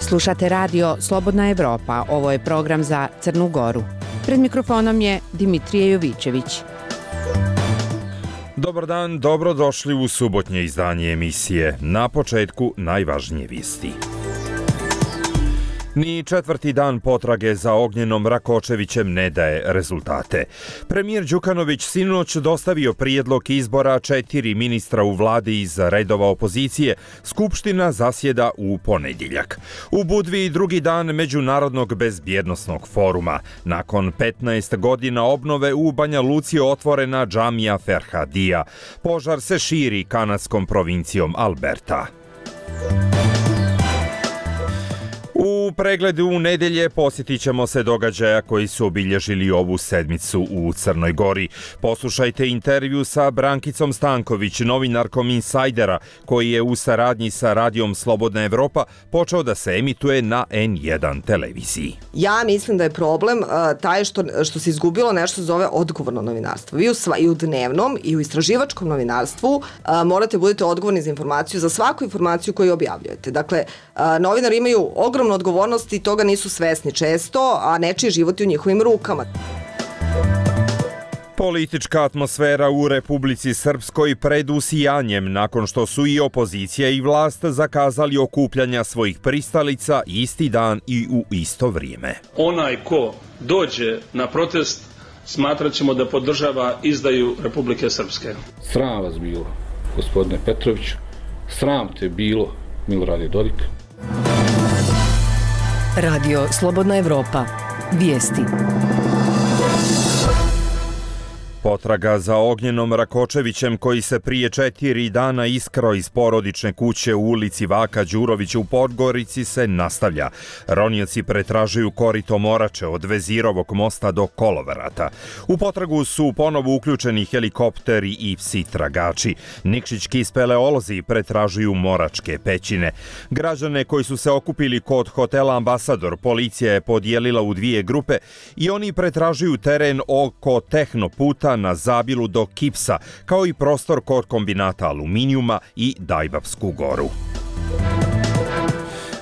Slušate radio Slobodna Evropa, ovo je program za Crnu Goru. Pred mikrofonom je Dimitrije Jovićević. Dobar dan, dobrodošli u subotnje izdanje emisije. Na početku najvažnije vijesti. Ni četvrti dan potrage za Ognjenom Rakočevićem ne daje rezultate. Premijer Đukanović sinoć dostavio prijedlog izbora 4 ministra u vladi iz redova opozicije. Skupština zasjeda u ponedjeljak. U Budvi drugi dan Međunarodnog bezbjednosnog foruma. Nakon 15 godina obnove u Banja Luci otvorena džamija Ferhadija. Požar se širi kanadskom provincijom Alberta. U pregledu nedelje posjetit ćemo se događaja koji su obilježili ovu sedmicu u Crnoj Gori. Poslušajte intervju sa Brankicom Stanković, novinarkom Insajdera, koji je u saradnji sa radijom Slobodna Evropa počeo da se emituje na N1 televiziji. Ja mislim da je problem taj što se izgubilo nešto zove odgovorno novinarstvo. Vi i u dnevnom i u istraživačkom novinarstvu morate budete odgovorni za informaciju, za svaku informaciju koju objavljujete. Dakle, novinari imaju ogromnu odgovornost i toga nisu svesni često, a nečiji život je u njihovim rukama. Politička atmosfera u Republici Srpskoj pred usijanjem nakon što su i opozicija i vlast zakazali okupljanja svojih pristalica isti dan i u isto vrijeme. Onaj ko dođe na protest smatrat ćemo da podržava izdaju Republike Srpske. Sram vas bilo, gospodine Petroviću, sram te bilo, Milorade Dodik. Radio Slobodna Evropa. Vijesti. Potraga za Ognjenom Rakočevićem, koji se prije 4 dana iskrao iz porodične kuće u ulici Vaka Đurovića u Podgorici, se nastavlja. Ronioci pretražuju korito Morače od Vezirovog mosta do Kolovrata. U potragu su ponovo uključeni helikopteri i psi tragači. Nikšićki speleolozi pretražuju Moračke pećine. Građane koji su se okupili kod hotela Ambasador policija je podijelila u 2 grupe i oni pretražuju teren oko Tehnoputa na Zabilu do Kipsa, kao i prostor kod kombinata aluminijuma i Dajbapsku goru.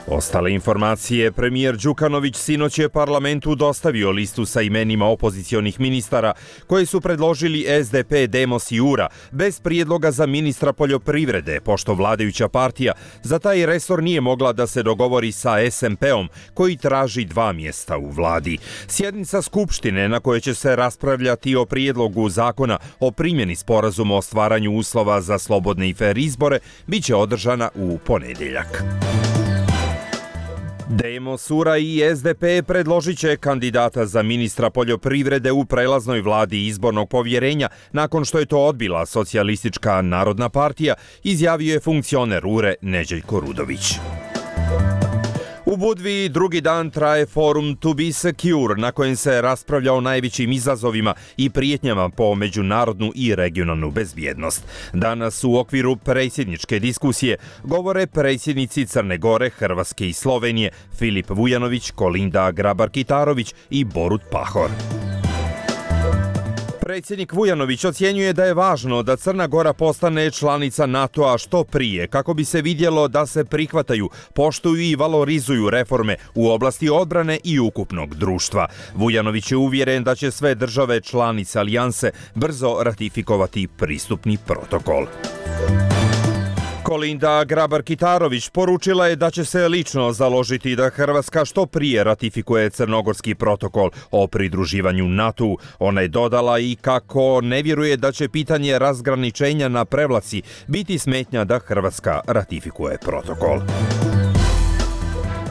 Ostale informacije. Premijer Đukanović sinoć je parlamentu dostavio listu sa imenima opozicionih ministara koji su predložili SDP, Demos i URA bez prijedloga za ministra poljoprivrede, pošto vladajuća partija za taj resor nije mogla da se dogovori sa SMP-om koji traži 2 mjesta u vladi. Sjednica Skupštine na kojoj će se raspravljati o prijedlogu zakona o primjeni sporazuma o stvaranju uslova za slobodne i fer izbore biće održana u ponedjeljak. Demos, URA i SDP predložit će kandidata za ministra poljoprivrede u prelaznoj vladi izbornog povjerenja nakon što je to odbila Socijalistička narodna partija, izjavio je funkcioner URE Neđeljko Rudović. U Budvi drugi dan traje forum To Be Secure, na kojem se raspravlja o najvećim izazovima i prijetnjama po međunarodnu i regionalnu bezbjednost. Danas u okviru predsjedničke diskusije govore predsjednici Crne Gore, Hrvatske i Slovenije Filip Vujanović, Kolinda Grabar-Kitarović i Borut Pahor. Predsjednik Vujanović ocjenjuje da je važno da Crna Gora postane članica NATO-a što prije, kako bi se vidjelo da se prihvataju, poštuju i valorizuju reforme u oblasti odbrane i ukupnog društva. Vujanović je uvjeren da će sve države članice alijanse brzo ratifikovati pristupni protokol. Kolinda Grabar-Kitarović poručila je da će se lično založiti da Hrvatska što prije ratifikuje crnogorski protokol o pridruživanju NATO-u. Ona je dodala i kako ne vjeruje da će pitanje razgraničenja na prevlaci biti smetnja da Hrvatska ratifikuje protokol.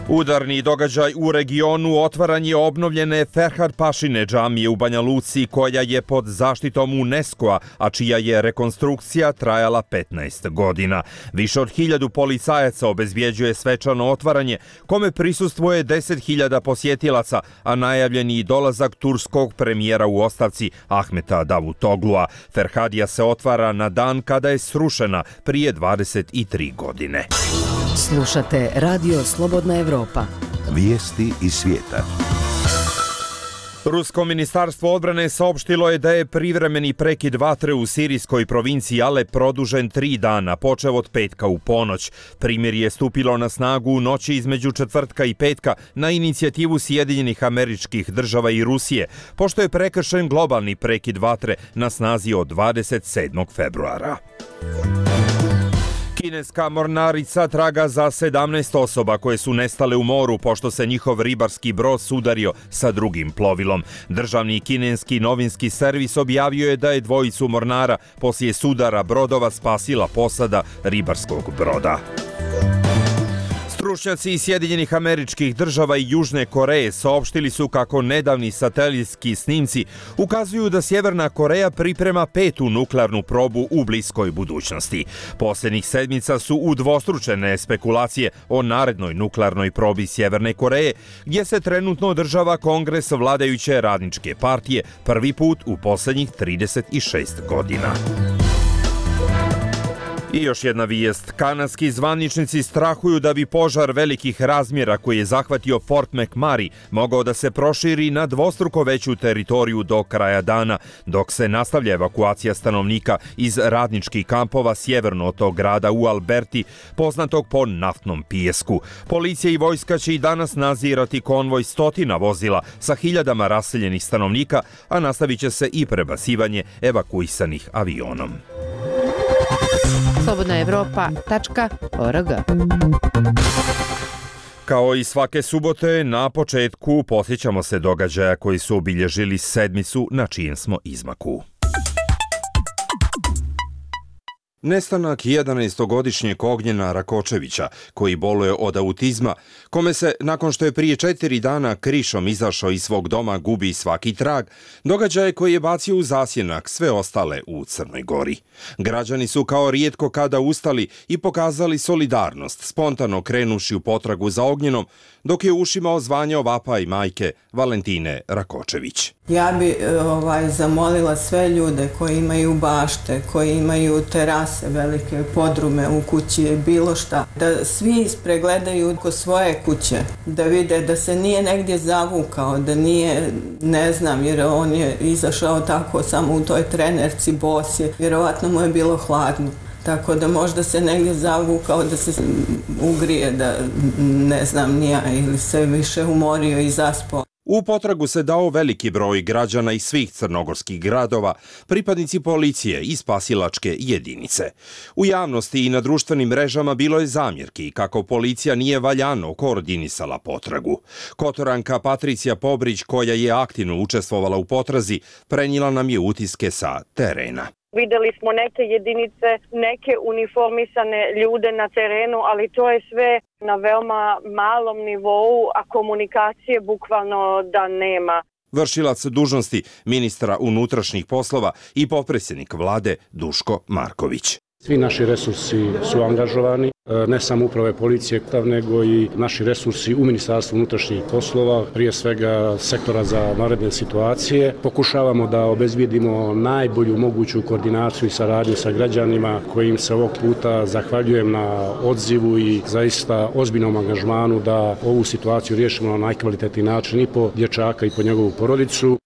Udarni događaj u regionu otvaranje obnovljene Ferhad Pašine džamije u Banja Luci, koja je pod zaštitom UNESCO-a, a čija je rekonstrukcija trajala 15 godina. Više od 1000 policajaca obezbjeđuje svečano otvaranje, kome prisustvuje 10.000 posjetilaca, a najavljen je i dolazak turskog premijera u ostavci Ahmeta Davutoglua. Ferhadija se otvara na dan kada je srušena prije 23 godine. Slušate Radio Slobodna Evropa. Vijesti iz svijeta. Rusko ministarstvo odbrane saopštilo je da je privremeni prekid vatre u sirijskoj provinciji Alep produžen 3 dana, počev od petka u ponoć. Primirje je stupilo na snagu u noći između četvrtka i petka na inicijativu Sjedinjenih Američkih Država i Rusije, pošto je prekršen globalni prekid vatre na snazi od 27. februara. Kineska mornarica traga za 17 osoba koje su nestale u moru pošto se njihov ribarski brod sudario sa drugim plovilom. Državni kineski novinski servis objavio je da je dvojicu mornara poslije sudara brodova spasila posada ribarskog broda. Stručnjaci iz Sjedinjenih Američkih Država i Južne Koreje saopštili su kako nedavni satelitski snimci ukazuju da Sjeverna Koreja priprema 5. nuklearnu probu u bliskoj budućnosti. Posljednjih sedmica su udvostručene spekulacije o narednoj nuklearnoj probi Sjeverne Koreje, gdje se trenutno održava kongres vladajuće radničke partije prvi put u posljednjih 36 godina. I još jedna vijest. Kanadski zvaničnici strahuju da bi požar velikih razmjera koji je zahvatio Fort McMurray mogao da se proširi na dvostruko veću teritoriju do kraja dana, dok se nastavlja evakuacija stanovnika iz radničkih kampova sjeverno od tog grada u Alberti, poznatog po naftnom pijesku. Policija i vojska će i danas nadzirati konvoj stotina vozila sa hiljadama raseljenih stanovnika, a nastavit će se i prebacivanje evakuisanih avionom. slobodnaevropa.org. Kao i svake subote, na početku posjećamo se događaja koji su obilježili sedmicu na čijem smo izmaku. Nestanak 11-godišnjeg Ognjena Rakočevića, koji boluje od autizma, kome se, nakon što je prije 4 dana krišom izašao iz svog doma, gubi svaki trag, događaj koji je bacio u zasjenak sve ostale u Crnoj Gori. Građani su kao rijetko kada ustali i pokazali solidarnost, spontano krenuši u potragu za Ognjenom, dok je ušima ozvanjao vapaj majke Valentine Rakočević. Ja bi zamolila sve ljude koji imaju bašte, koji imaju terase, velike podrume u kući, bilo šta, da svi pregledaju oko svoje kuće, da vide da se nije negdje zavukao, da nije, ne znam, jer on je izašao tako samo u toj trenerci bosi, vjerovatno mu je bilo hladno. Tako da možda se negdje zavukao da se ugrije, da ne znam nija, ili se više umorio i zaspao. U potragu se dao veliki broj građana iz svih crnogorskih gradova, pripadnici policije i spasilačke jedinice. U javnosti i na društvenim mrežama bilo je zamjerki kako policija nije valjano koordinisala potragu. Kotoranka Patricija Pobrić, koja je aktivno učestvovala u potrazi, prenijela nam je utiske sa terena. Vidjeli smo neke jedinice, neke uniformisane ljude na terenu, ali to je sve na veoma malom nivou, a komunikacije bukvalno da nema. Vršilac dužnosti ministra unutrašnjih poslova i potpredsjednik vlade Duško Marković. Svi naši resursi su angažovani, ne samo uprave policije, nego i naši resursi u Ministarstvu unutrašnjih poslova, prije svega sektora za vanredne situacije. Pokušavamo da obezbijedimo najbolju moguću koordinaciju i saradnju sa građanima, kojim se ovog puta zahvaljujem na odzivu i zaista ozbiljnom angažmanu da ovu situaciju riješimo na najkvalitetniji način i po dječaka i po njegovu porodicu.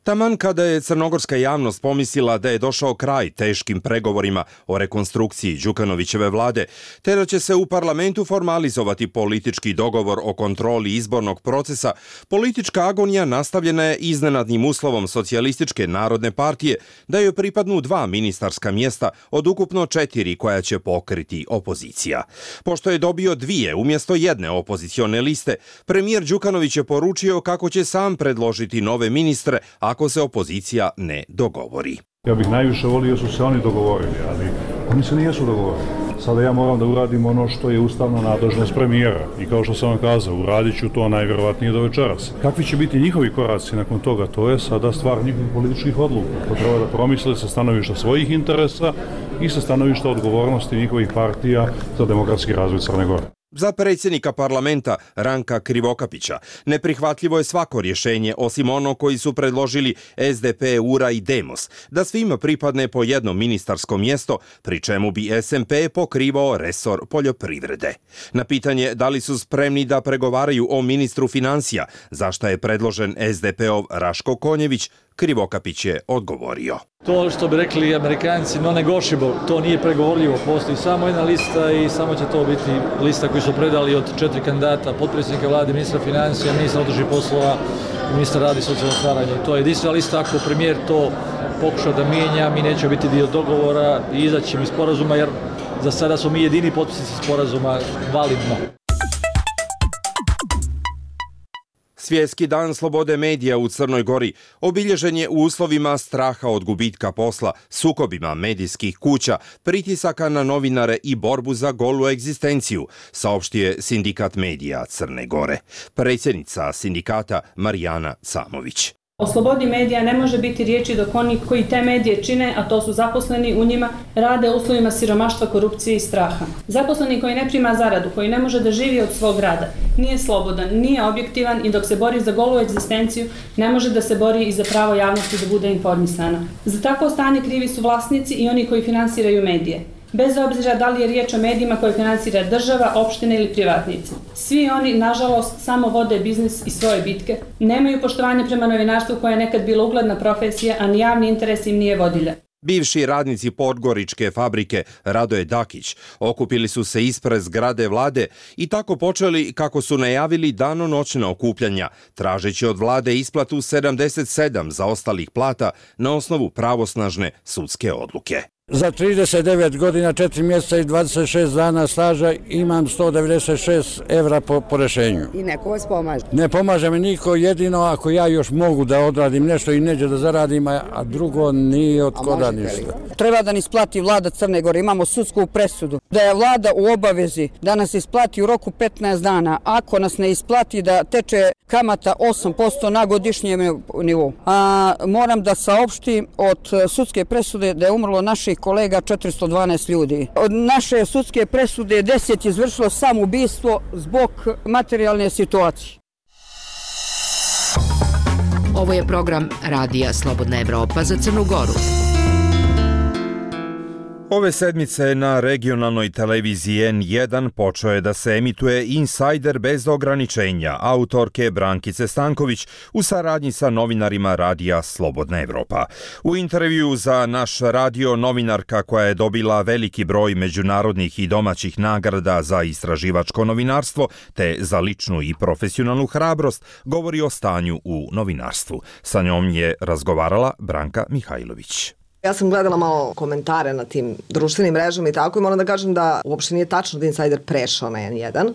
Taman kada je crnogorska javnost pomislila da je došao kraj teškim pregovorima o rekonstrukciji Đukanovićeve vlade, te da će se u parlamentu formalizovati politički dogovor o kontroli izbornog procesa, politička agonija nastavljena je iznenadnim uslovom Socijalističke narodne partije da joj pripadnu 2 ministarska mjesta od ukupno 4 koja će pokriti opozicija. Pošto je dobio 2 umjesto 1 opozicione liste, premijer Đukanović je poručio kako će sam predložiti nove ministre ako se opozicija ne dogovori. Ja bih najviše volio su se oni dogovorili, ali oni se nisu dogovorili. Sada ja moram da uradim ono što je ustavna nadležnost premijera i kao što sam vam kazao, uradit ću to najvjerovatnije do večeras. Kakvi će biti njihovi koraci nakon toga, to je sada stvar njihovih političkih odluka. To treba da promisle sa stanovišta svojih interesa i sa stanovišta odgovornosti njihovih partija za demokratski razvoj Crne Gore. Za predsjednika parlamenta Ranka Krivokapića neprihvatljivo je svako rješenje osim ono koji su predložili SDP, URA i Demos, da svima pripadne po jedno ministarsko mjesto, pri čemu bi SMP pokrivao resor poljoprivrede. Na pitanje da li su spremni da pregovaraju o ministru financija, za šta je predložen SDP-ov Raško Konjević, Krivokapić je odgovorio. To što bi rekli Amerikanci non-negotiable, to nije pregovorljivo, postoji samo jedna lista i samo će to biti lista koju su predali od 4 kandidata, potpredsjednika vlade, ministra financija, ministra unutrašnjih poslova i ministra rada i socijalnog staranja. To je jedinstvena lista, ako premijer to pokuša da mijenja, mi nećemo biti dio dogovora i izaći iz sporazuma, jer za sada smo mi jedini potpisnici sporazuma validno. Svjetski dan slobode medija u Crnoj Gori obilježen je u uslovima straha od gubitka posla, sukobima medijskih kuća, pritisaka na novinare i borbu za golu egzistenciju, saopštio Sindikat medija Crne Gore. Predsjednica sindikata Marijana Camović. O slobodi medija ne može biti riječi dok oni koji te medije čine, a to su zaposleni u njima, rade u uslovima siromaštva, korupcije i straha. Zaposleni koji ne prima zaradu, koji ne može da živi od svog rada, nije slobodan, nije objektivan i dok se bori za golu egzistenciju, ne može da se bori i za pravo javnosti da bude informisana. Za takvo stanje krivi su vlasnici i oni koji finansiraju medije. Bez obzira da li je riječ o medijima koje finansira država, opštine ili privatnici. Svi oni, nažalost, samo vode biznis i svoje bitke. Nemaju poštovanje prema novinarstvu koje je nekad bila ugledna profesija, a ni javni interes im nije vodilja. Bivši radnici podgoričke fabrike Radoje Dakić okupili su se ispred zgrade vlade i tako počeli, kako su najavili, danonoćna okupljanja, tražeći od vlade isplatu 77 zaostalih plata na osnovu pravosnažne sudske odluke. Za 39 godina, 4 mjeseca i 26 dana staža imam 196 evra po rješenju. I neko vas pomaže? Ne pomaže mi niko, jedino ako ja još mogu da odradim nešto i neđe da zaradim, a drugo nije od koda ništa. Treba da nas isplati vlada Crne Gore, imamo sudsku presudu. Da je vlada u obavezi da nas isplati u roku 15 dana. Ako nas ne isplati, da teče kamata 8% na godišnjem nivou. Moram da saopštim od sudske presude da je umrlo naših kolega 412 ljudi. Od naše sudske presude 10 je izvršilo samoubistvo zbog materijalne situacije. Ovo je program Radija Slobodna Evropa za Crnu Goru. Ove sedmice na regionalnoj televiziji N1 počeo je da se emituje Insider bez ograničenja autorke Brankice Stanković u saradnji sa novinarima Radija Slobodna Evropa. U intervju za naš radio novinarka, koja je dobila veliki broj međunarodnih i domaćih nagrada za istraživačko novinarstvo te za ličnu i profesionalnu hrabrost, govori o stanju u novinarstvu. Sa njom je razgovarala Branka Mihajlović. Ja sam gledala malo komentare na tim društvenim mrežama i tako i moram da kažem da uopšte nije tačno da Insider prešao na N1.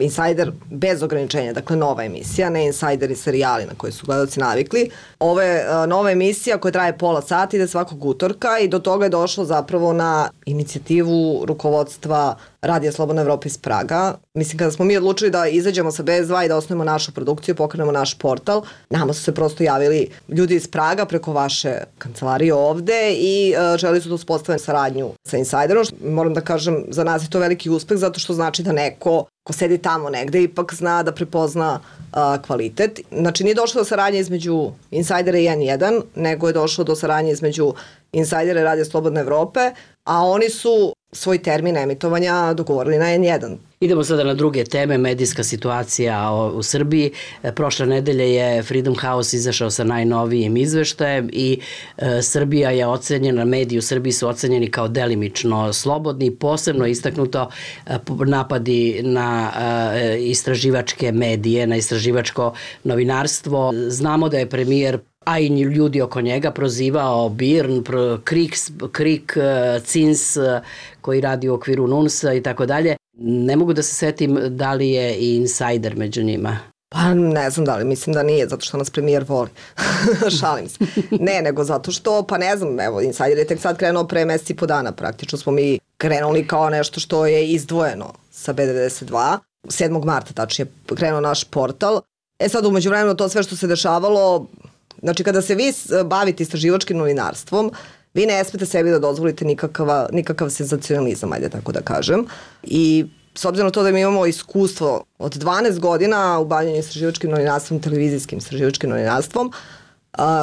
Insider bez ograničenja, dakle nova emisija, ne Insider i serijali na koje su gledalci navikli. Ovo je nova emisija koja traje pola sata, ide svakog utorka i do toga je došlo zapravo na inicijativu rukovodstva Radija Slobodna Evropa iz Praga. Mislim, kada smo mi odlučili da izađemo sa BS2 i da osnovimo našu produkciju, pokrenemo naš portal, nama su se prosto javili ljudi iz Praga preko vaše kancelarije ovde i želi su da uspostave saradnju sa Insiderom. Moram da kažem, za nas je to veliki uspeh zato što znači da neko ko sedi tamo negde ipak zna da prepozna kvalitet. Znači, nije došlo do saradnje između Insidera i N1, nego je došlo do saradnje između Insidera i Radija Slobodne Evrope, a oni su svoj termin emitovanja dogovorili na N1. Idemo sada na druge teme, medijska situacija u Srbiji. Prošle nedelje je Freedom House izašao sa najnovijim izveštajem i Srbija je ocenjena, mediji u Srbiji su ocenjeni kao delimično slobodni, posebno istaknuto napadi na istraživačke medije, na istraživačko novinarstvo. Znamo da je premijer, a i ljudi oko njega, prozivao BIRN, KRIK, CINS koji radi u okviru NUNS-a i tako dalje. Ne mogu da se setim da li je i Insider među njima. Pa ne znam da li, mislim da nije, zato što nas premijer voli. Šalim se. Ne, nego zato što, pa ne znam, evo, Insider je tek sad krenuo pre meseci i po dana, praktično smo mi krenuli kao nešto što je izdvojeno sa B92. 7. marta tačnije krenuo naš portal. Sad umeđu vremenu to sve što se dešavalo, znači kada se vi bavite istraživačkim novinarstvom, vi ne smete sebi da dozvolite nikakav senzacionalizam, ajde tako da kažem. I s obzirom na to da mi imamo iskustvo od 12 godina u bavljanju istraživačkim novinarstvom, televizijskim istraživačkim novinarstvom,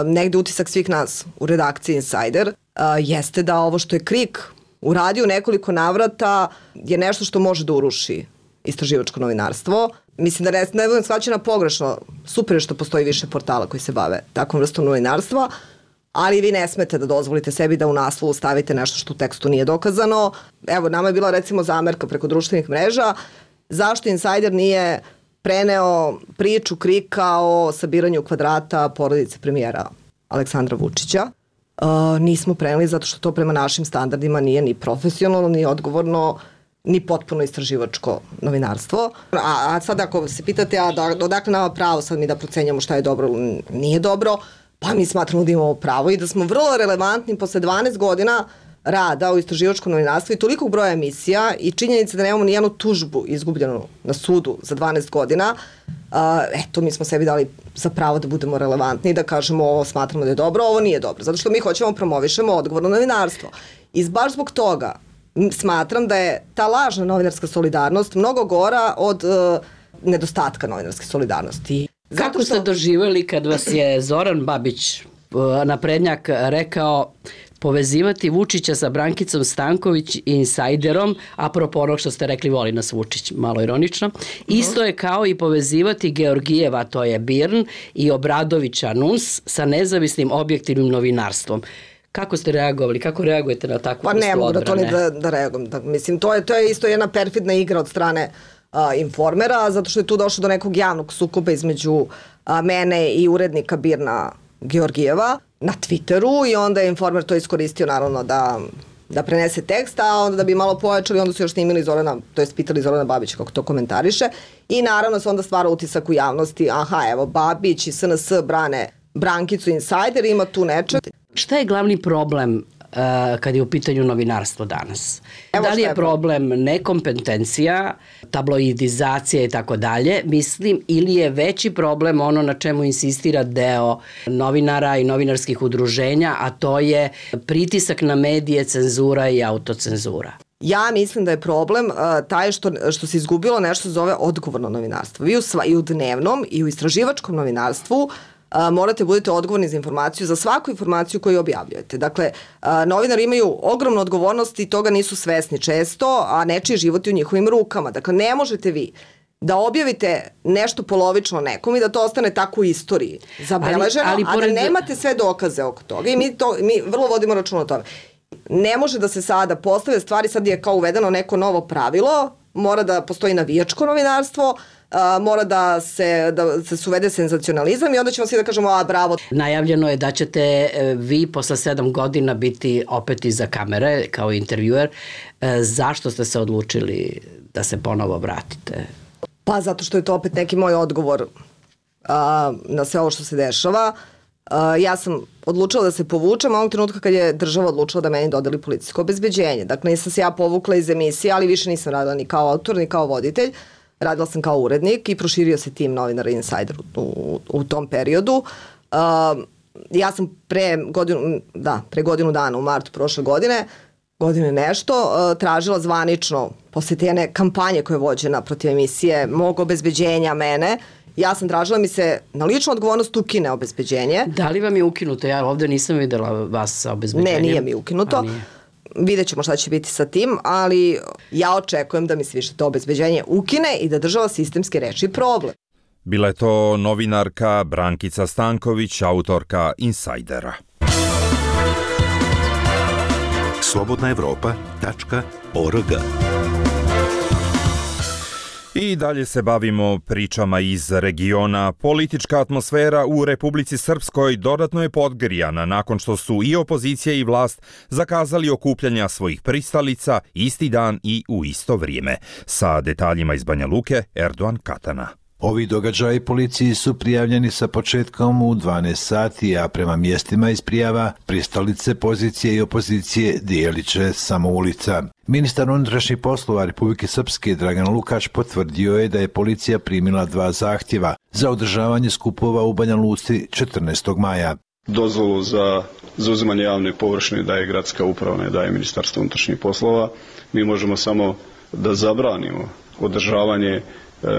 negde utisak svih nas u redakciji Insider jeste da ovo što je KRIK uradio u nekoliko navrata je nešto što može da uruši istraživačko novinarstvo. Mislim da ne budem shvaćena pogrešno, super je što postoji više portala koji se bave takvom vrstom novinarstva, ali vi ne smete da dozvolite sebi da u naslovu stavite nešto što u tekstu nije dokazano. Evo, nama je bila recimo zamerka preko društvenih mreža zašto Insider nije preneo priču KRIK-a o sabiranju kvadrata porodice premijera Aleksandra Vučića. Nismo preneli zato što to prema našim standardima nije ni profesionalno, ni odgovorno, ni potpuno istraživačko novinarstvo. A sad ako se pitate odakle nama pravo sad mi da procenjamo šta je dobro ili nije dobro, pa mi smatramo da imamo pravo i da smo vrlo relevantni posle 12 godina rada u istraživačkom novinarstvu i tolikog broja emisija i činjenica da nemamo nijednu tužbu izgubljenu na sudu za 12 godina, eto, mi smo sebi dali za pravo da budemo relevantni i da kažemo ovo smatramo da je dobro, ovo nije dobro, zato što mi hoćemo promovišemo odgovorno novinarstvo. I baš zbog toga smatram da je ta lažna novinarska solidarnost mnogo gora od nedostatka novinarske solidarnosti. Kako ste doživjeli kad vas je Zoran Babić, naprednjak, rekao povezivati Vučića sa Brankicom Stanković i Insajderom, apropo onog što ste rekli voli nas Vučić, malo ironično, isto je kao i povezivati Georgijeva, to je BIRN, i Obradovića NUNS sa nezavisnim objektivnim novinarstvom. Kako ste reagovali? Kako reagujete na takvu vrstu odbrane? Pa ne mogu da to ni da reagujem. Mislim, to je isto jedna perfidna igra od strane Informera, zato što je tu došlo do nekog javnog sukoba između mene i urednika BIRN-a Georgijeva na Twitteru i onda je Informer to iskoristio naravno da prenese tekst, a onda da bi malo pojačali, onda su još snimili Zorana, to jest pitali Zorana Babića kako to komentariše i naravno se onda stvara utisak u javnosti, aha, evo, Babić i SNS brane Brankicu Insider, ima tu nečeg. Šta je glavni problem kad je u pitanju novinarstvo danas? Da li je problem nekompetencija, tabloidizacija i tako dalje, mislim, ili je veći problem ono na čemu insistira deo novinara i novinarskih udruženja, a to je pritisak na medije, cenzura i autocenzura? Ja mislim da je problem taj što se izgubilo nešto zove odgovorno novinarstvo. Vi i u dnevnom i u istraživačkom novinarstvu morate budete odgovorni za informaciju, za svaku informaciju koju objavljujete. Dakle, novinari imaju ogromnu odgovornost i toga nisu svesni često, a nečiji život je u njihovim rukama. Dakle, ne možete vi da objavite nešto polovično nekom i da to ostane tako u istoriji zabeleženo, a da nemate sve dokaze oko toga. I mi vrlo vodimo račun o tome. Ne može da se sada postave stvari, sad je kao uvedeno neko novo pravilo, mora da postoji navijačko novinarstvo, mora da se uvede senzacionalizam i onda ćemo svi da kažemo, a bravo. Najavljeno je da ćete vi posle 7 godina biti opet iza kamere kao intervjuer. Zašto ste se odlučili da se ponovo vratite? Pa zato što je to opet neki moj odgovor na sve ovo što se dešava. Ja sam odlučila da se povučem onog trenutka kad je država odlučila da meni dodeli policijsko obezbeđenje. Dakle, nisam se ja povukla iz emisije, ali više nisam radila ni kao autor, ni kao voditelj. Radila sam kao urednik i proširio se tim novinara Insider u tom periodu. Ja sam pre godinu dana, u martu prošle godine nešto, tražila zvanično, posle te jedne kampanje koja je vođena protiv emisije, mog obezbeđenja mene, ja sam tražila mi se na ličnu odgovornost ukine obezbeđenje. Da li vam je ukinuto? Ja ovde nisam videla vas sa obezbeđenjem. Ne, nije mi ukinuto. Vidjet ćemo šta će biti sa tim, ali ja očekujem da mi se više to obezbeđenje ukine i da država sistemski reši problem. Bila je to novinarka Brankica Stanković, autorka Insajdera. slobodnaevropa.org. I dalje se bavimo pričama iz regiona. Politička atmosfera u Republici Srpskoj dodatno je podgrijana nakon što su i opozicija i vlast zakazali okupljanja svojih pristalica isti dan i u isto vrijeme. Sa detaljima iz Banja Luke, Erdogan Katana. Ovi događaji policiji su prijavljeni sa početkom u 12 sati, a prema mjestima iz prijava pristalice pozicije i opozicije dijelit će samo ulica. Ministar unutrašnjih poslova Republike Srpske Dragan Lukač potvrdio je da je policija primila 2 zahtjeva za održavanje skupova u Banja Luci 14. maja. Dozvolu za zauzimanje javne površine daje gradska uprava, ne daje Ministarstvo unutrašnjih poslova. Mi možemo samo da zabranimo održavanje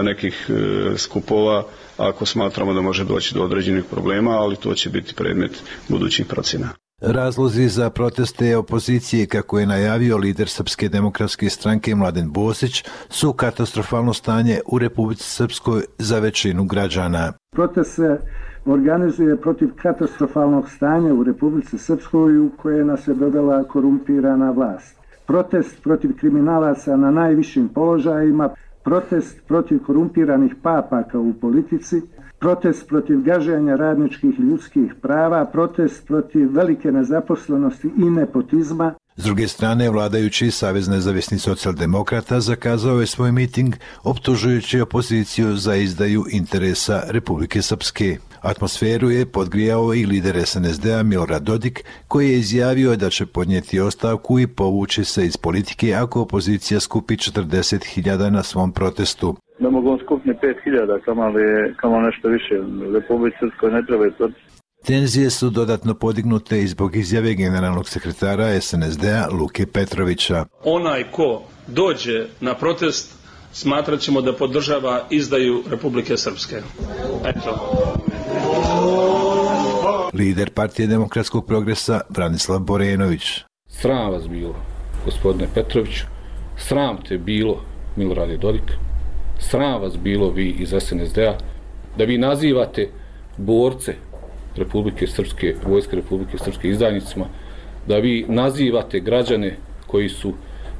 nekih skupova ako smatramo da može doći do određenih problema, ali to će biti predmet budućih procjena. Razlozi za proteste opozicije, kako je najavio lider Srpske demokratske stranke Mladen Bosić, su katastrofalno stanje u Republici Srpskoj za većinu građana. Protest se organizuje protiv katastrofalnog stanja u Republici Srpskoj u koje nas je dovela korumpirana vlast. Protest protiv kriminalaca na najvišim položajima, protest protiv korumpiranih papaka u politici, protest protiv gaženja radničkih ljudskih prava, protest protiv velike nezaposlenosti i nepotizma. S druge strane, vladajući Savez nezavisnih socijaldemokrata zakazao je svoj miting optužujući opoziciju za izdaju interesa Republike Srpske. Atmosferu je podgrijao i lider SNSD-a Milorad Dodik, koji je izjavio da će podnijeti ostavku i povući se iz politike ako opozicija skupi 40.000 na svom protestu. Da mogu on skupni 5.000, kamo nešto više. Republici Srpskoj ne treba to. Tenzije su dodatno podignute i zbog izjave generalnog sekretara SNSD-a Luke Petrovića. Onaj ko dođe na protest smatrat ćemo da podržava izdaju Republike Srpske. Eto. Lider Partije demokratskog progresa Branislav Borenović. Sram vas bilo, gospodine Petroviću, sram te bilo, Milorade Dodik, sram vas bilo vi iz SNSD-a, da vi nazivate borce Republike Srpske, vojske Republike Srpske izdajnicima, da vi nazivate građane koji su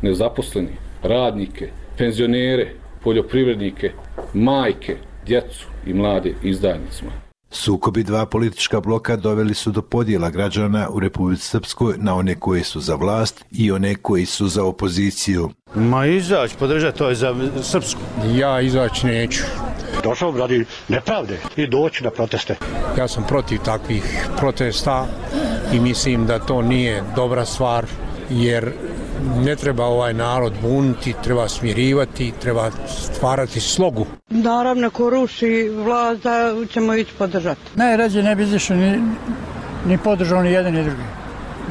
nezaposleni, radnike, penzionere, poljoprivrednike, majke, djecu i mlade izdajnicima. Sukobi dva politička bloka doveli su do podjela građana u Republici Srpskoj na one koji su za vlast i one koji su za opoziciju. Ma izaći, podržati, to je za Srpsku. Ja izaći neću. Došao radi nepravde i doći na proteste. Ja sam protiv takvih protesta i mislim da to nije dobra stvar, jer ne treba ovaj narod buniti, treba smirivati, treba stvarati slogu. Naravno, ko ruši vlast, da ćemo ići podržati. Najrađe ne bi izašao ni podržao ni jedan ni drugi.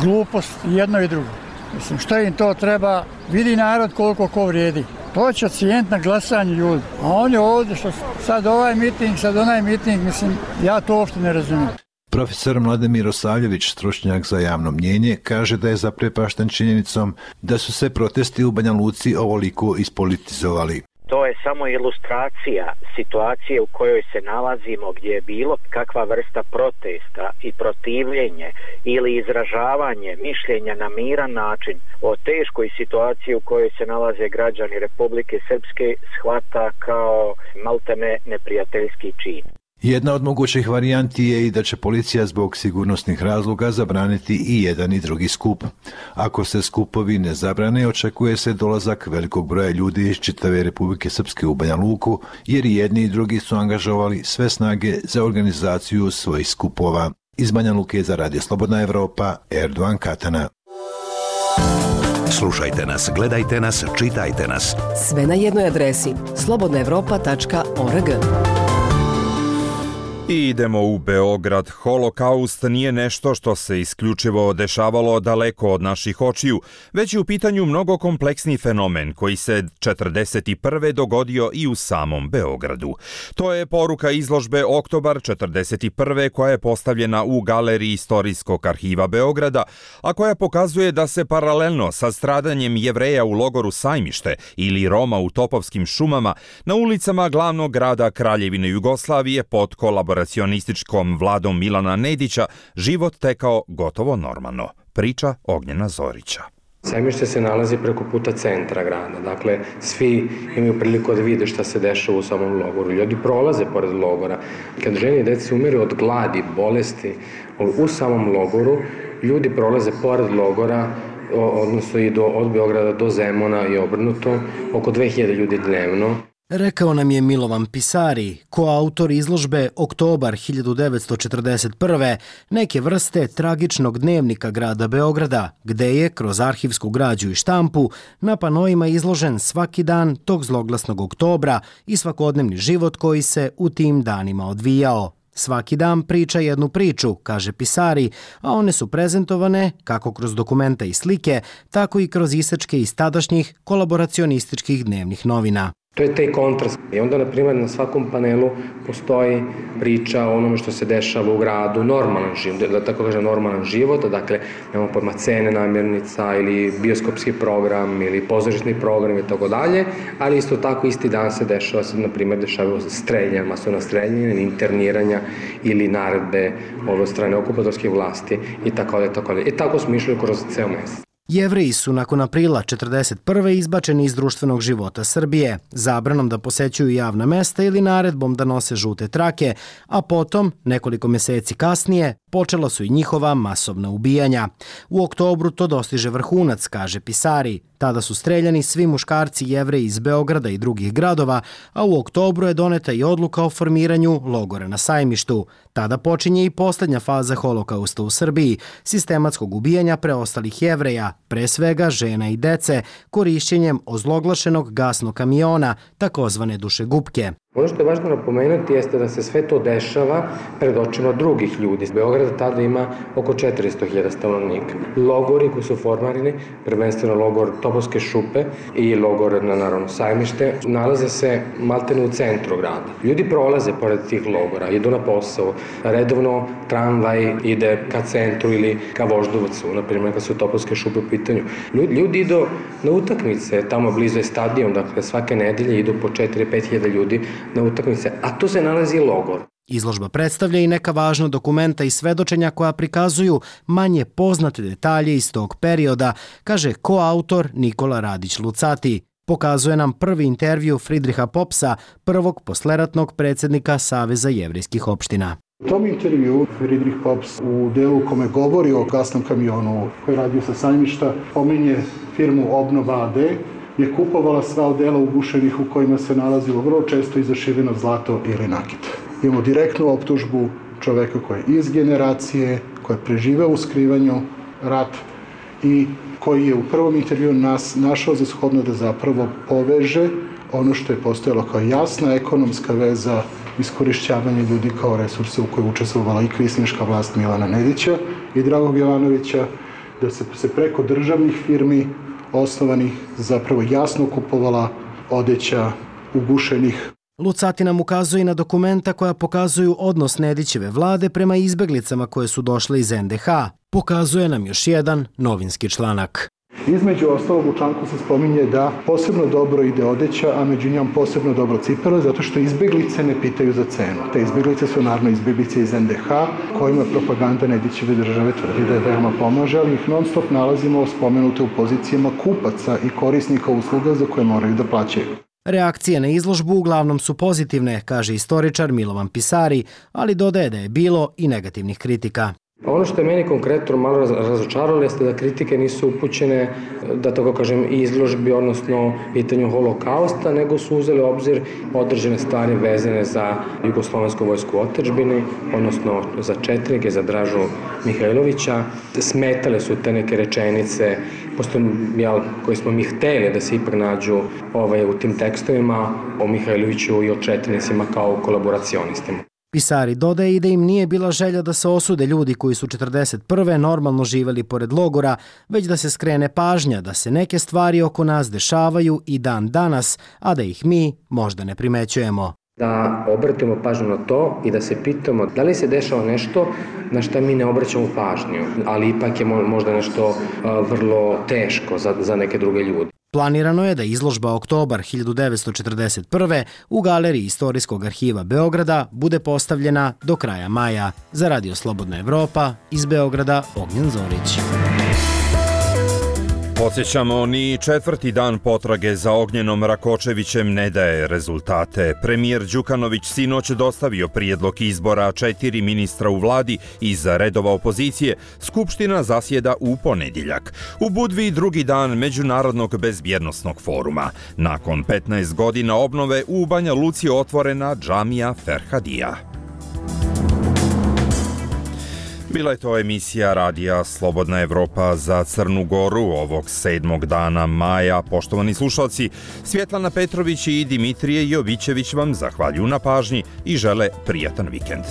Glupost jedno i drugo. Mislim, što im to treba, vidi narod koliko ko vrijedi. To će cijent na glasanje ljudi. A on je ovdje, što sad ovaj miting, sad onaj miting, mislim, ja to uopšte ne razumijem. Profesor Mladen Mirosavljević, stručnjak za javno mnjenje, kaže da je zaprepašten činjenicom da su se protesti u Banja Luci ovoliko ispolitizovali. To je samo ilustracija situacije u kojoj se nalazimo, gdje je bilo kakva vrsta protesta i protivljenje ili izražavanje mišljenja na miran način o teškoj situaciji u kojoj se nalaze građani Republike Srpske shvata kao maltene neprijateljski čin. Jedna od mogućih varijanti je i da će policija zbog sigurnosnih razloga zabraniti i jedan i drugi skup. Ako se skupovi ne zabrane, očekuje se dolazak velikog broja ljudi iz čitave Republike Srpske u Banja Luku, jer i jedni i drugi su angažovali sve snage za organizaciju svojih skupova. Iz Banja Luke za Radio Slobodna Evropa, Erdogan Katana. Slušajte nas, gledajte nas, čitajte nas. Sve na jednoj adresi slobodnaevropa.org. I idemo u Beograd. Holokaust nije nešto što se isključivo dešavalo daleko od naših očiju, već je u pitanju mnogo kompleksni fenomen koji se 1941. dogodio i u samom Beogradu. To je poruka izložbe Oktobar 1941. koja je postavljena u Galeriji Istorijskog arhiva Beograda, a koja pokazuje da se paralelno sa stradanjem Jevreja u logoru Sajmište ili Roma u Topovskim šumama na ulicama glavnog grada Kraljevine Jugoslavije pod kolaboracionističkom vladom Milana Nedića život tekao gotovo normalno. Priča Ognjena Zorića. Sajmište se nalazi preko puta centra grada, dakle svi imaju priliku da vide šta se dešava u samom logoru. Ljudi prolaze pored logora. Kad žene i deci umiru od gladi, bolesti u samom logoru, ljudi prolaze pored logora, odnosno i od Beograda do Zemuna i obrnuto, oko 2000 ljudi dnevno. Rekao nam je Milovan Pisari, koautor izložbe Oktobar 1941. neke vrste tragičnog dnevnika grada Beograda, gde je, kroz arhivsku građu i štampu, na panoima izložen svaki dan tog zloglasnog oktobra i svakodnevni život koji se u tim danima odvijao. Svaki dan priča jednu priču, kaže Pisari, a one su prezentovane kako kroz dokumenta i slike, tako i kroz isečke iz tadašnjih kolaboracionističkih dnevnih novina. To je taj kontrast. I onda, na primjer, na svakom panelu postoji priča o onome što se dešava u gradu, normalan život, da tako kažem normalan život, dakle, nemamo pojma cene namirnica ili bioskopski program ili pozorišni program i tako dalje, ali isto tako isti dan se dešava, na primjer, dešavaju streljanja, masovna streljanja, interniranja ili naredbe od strane okupatorskih vlasti i tako dalje. I tako smo išli kroz ceo mesec. Jevreji su nakon aprila 1941. izbačeni iz društvenog života Srbije, zabranom da posećuju javna mesta ili naredbom da nose žute trake, a potom, nekoliko meseci kasnije, počela su i njihova masovna ubijanja. U oktobru to dostiže vrhunac, kaže Pisari. Tada su streljani svi muškarci Jevreji iz Beograda i drugih gradova, a u oktobru je doneta i odluka o formiranju logora na Sajmištu. Tada počinje i poslednja faza holokausta u Srbiji, sistematskog ubijanja preostalih Jevreja, pre svega žena i dece, korišćenjem ozloglašenog gasnog kamiona, takozvane dušegupke. Ono što je važno napomenuti jeste da se sve to dešava pred očima drugih ljudi. Beograd tada ima oko 400.000 stanovnika. Logori koji su formirani, prvenstveno logor Topovske šupe i logor na naravno Sajmište, nalaze se maltene u centru grada. Ljudi prolaze pored tih logora, idu na posao, redovno tramvaj ide ka centru ili ka Voždovcu, na primjer kad su Topovske šupe u pitanju. Ljudi idu na utakmice, tamo blizu je stadion, dakle svake nedelje idu po 4-5.000 ljudi na utakmice, a tu se nalazi logor. Izložba predstavlja i neka važna dokumenta i svedočenja koja prikazuju manje poznate detalje iz tog perioda, kaže koautor Nikola Radić-Lucati. Pokazuje nam prvi intervju Friedricha Popsa, prvog posleratnog predsjednika Saveza jevrejskih opština. U tom intervju Friedrich Pops u delu u kome govori o gasnom kamionu koji je radio sa Sajmišta, pominje firmu Obnova AD, je kupovala sva odela ugušenih u kojima se nalazilo vrlo često i zašiveno zlato ili nakit. Imamo direktnu optužbu čoveka koji je iz generacije, koji je preživeo u skrivanju rat i koji je u prvom intervju nas našao za shodno da zapravo poveže ono što je postojalo kao jasna ekonomska veza iskorišćavanja ljudi kao resursa u kojoj učestvovala i kvislinška vlast Milana Nedića i Dragog Jovanovića, da se preko državnih firmi osnovanih zapravo jasno kupovala odeća ugušenih. Lucati nam ukazuje i na dokumenta koja pokazuju odnos Nedićeve vlade prema izbeglicama koje su došle iz NDH. Pokazuje nam još jedan novinski članak. Između ostalog u članku se spominje da posebno dobro ide odeća, a među njom posebno dobro cipele, zato što izbeglice ne pitaju za cenu. Te izbeglice su naravno izbeglice iz NDH, kojima propaganda Nedićeve države tvrdi da je veoma pomaže, ali ih non stop nalazimo spomenute u pozicijama kupaca i korisnika usluga za koje moraju da plaćaju. Reakcije na izložbu uglavnom su pozitivne, kaže istoričar Milovan Pisari, ali dodaje da je bilo i negativnih kritika. Ono što je meni konkretno malo razočaralo jeste da kritike nisu upućene, da tako kažem, izložbi, odnosno pitanju holokausta, nego su uzeli obzir određene stvari vezane za Jugoslovensku vojsku u otadžbini, odnosno za četnike, za Dražu Mihajlovića. Smetale su te neke rečenice, koji smo mi hteli da se ipak nađu u tim tekstovima o Mihajloviću i o četnicima kao kolaboracionistima. Pisari dodaje i da im nije bila želja da se osude ljudi koji su 1941. normalno živeli pored logora, već da se skrene pažnja da se neke stvari oko nas dešavaju i dan danas, a da ih mi možda ne primećujemo. Da obratimo pažnju na to i da se pitamo da li se dešava nešto na što mi ne obraćamo pažnju, ali ipak je možda nešto vrlo teško za neke druge ljude. Planirano je da izložba Oktobar 1941. u Galeriji Istorijskog arhiva Beograda bude postavljena do kraja maja. Za Radio Slobodna Evropa, iz Beograda, Ognjen Zorić. Podsjećamo, ni četvrti dan potrage za Ognjenom Rakočevićem ne daje rezultate. Premijer Đukanović sinoć dostavio prijedlog izbora 4 ministra u vladi iz redova opozicije. Skupština zasjeda u ponedjeljak. U Budvi drugi dan Međunarodnog bezbjednosnog foruma. Nakon 15 godina obnove u Banja Luci otvorena džamija Ferhadija. Bila je to emisija radija Slobodna Evropa za Crnu Goru ovog 7. dana maja. Poštovani slušalci, Svjetlana Petrović i Dimitrije Jovićević vam zahvaljuju na pažnji i žele prijatan vikend.